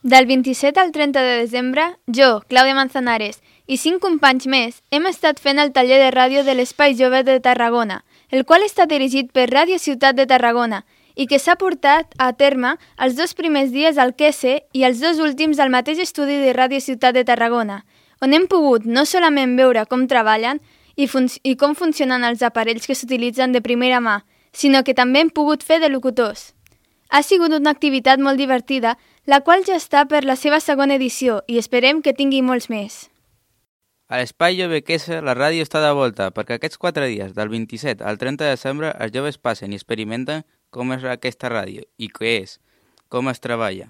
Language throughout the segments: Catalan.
Del 27 al 30 de desembre, jo, Clàudia Manzanares, i 5 companys més hem estat fent el taller de ràdio de l'Espai Jove de Tarragona, el qual està dirigit per Ràdio Ciutat de Tarragona i que s'ha portat a terme els 2 primers dies al QS i els 2 últims al mateix estudi de Ràdio Ciutat de Tarragona, on hem pogut no solament veure com treballen i com funcionen els aparells que s'utilitzen de primera mà, sinó que també hem pogut fer de locutors. Ha sigut una activitat molt divertida, la qual ja està per la seva segona edició i esperem que tingui molts més. A l'Espai Jove QS la ràdio està de volta perquè aquests 4 dies, del 27 al 30 de desembre, els joves passen i experimenten com és aquesta ràdio i què és, com es treballa.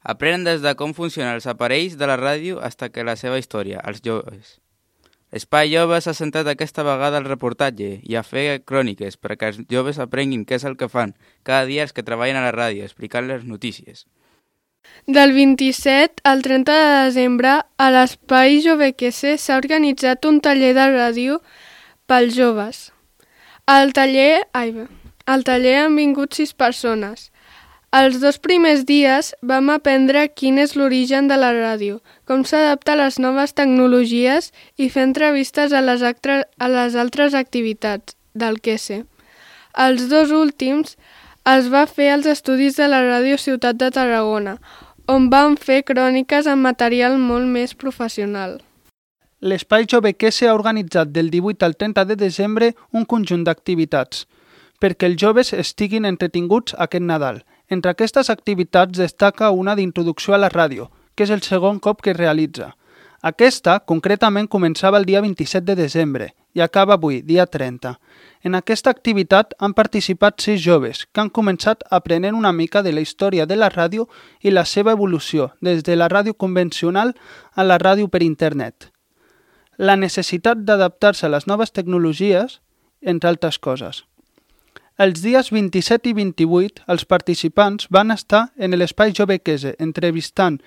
Aprenen des de com funcionen els aparells de la ràdio fins que la seva història, els joves. L'Espai Jove s'ha centrat aquesta vegada al reportatge i a fer cròniques perquè els joves aprenguin què és el que fan cada dia els que treballen a la ràdio, explicant les notícies. Del 27 al 30 de desembre, a l'Espai Jove QS s'ha organitzat un taller de ràdio pels joves. Al taller han vingut 6 persones. Els 2 primers dies vam aprendre quin és l'origen de la ràdio, com s'adapta a les noves tecnologies i fer entrevistes a les altres activitats del QS. Els 2 últims es va fer als estudis de la Ràdio Ciutat de Tarragona, on vam fer cròniques amb material molt més professional. L'Espai Jove QS ha organitzat del 18 al 30 de desembre un conjunt d'activitats perquè els joves estiguin entretinguts aquest Nadal. Entre aquestes activitats destaca una d'introducció a la ràdio, que és el segon cop que es realitza. Aquesta, concretament, començava el dia 27 de desembre i acaba avui, dia 30. En aquesta activitat han participat 6 joves que han començat aprenent una mica de la història de la ràdio i la seva evolució des de la ràdio convencional a la ràdio per internet. La necessitat d'adaptar-se a les noves tecnologies, entre altres coses. Els dies 27 i 28, els participants van estar en l'Espai Jove QS entrevistant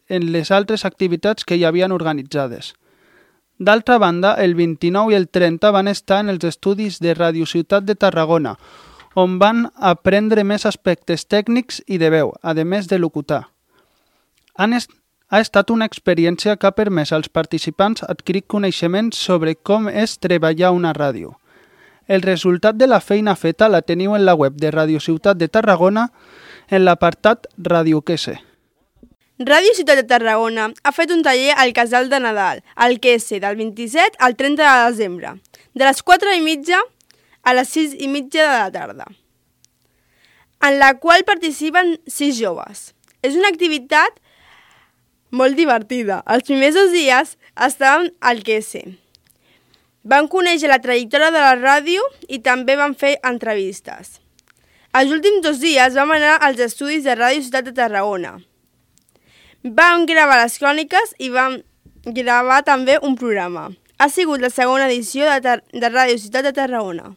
en les altres activitats que hi havien organitzades. D'altra banda, el 29 i el 30 van estar en els estudis de Ràdio Ciutat de Tarragona, on van aprendre més aspectes tècnics i de veu, a més de locutar. Ha estat una experiència que ha permès als participants adquirir coneixements sobre com és treballar una ràdio. El resultat de la feina feta la teniu en la web de Ràdio Ciutat de Tarragona en l'apartat Ràdio QS. Ràdio Ciutat de Tarragona ha fet un taller al Casal de Nadal, al QS, del 27 al 30 de desembre, de les 4:30 a les 6:30 de la tarda, en la qual participen 6 joves. És una activitat molt divertida. Els primers 2 dies estàvem al QS. Vam conèixer la trajectòria de la ràdio i també vam fer entrevistes. Els últims 2 dies vam anar als estudis de Ràdio Ciutat de Tarragona. Vam gravar les cròniques i vam gravar també un programa. Ha sigut la segona edició de Ràdio Ciutat de Tarragona.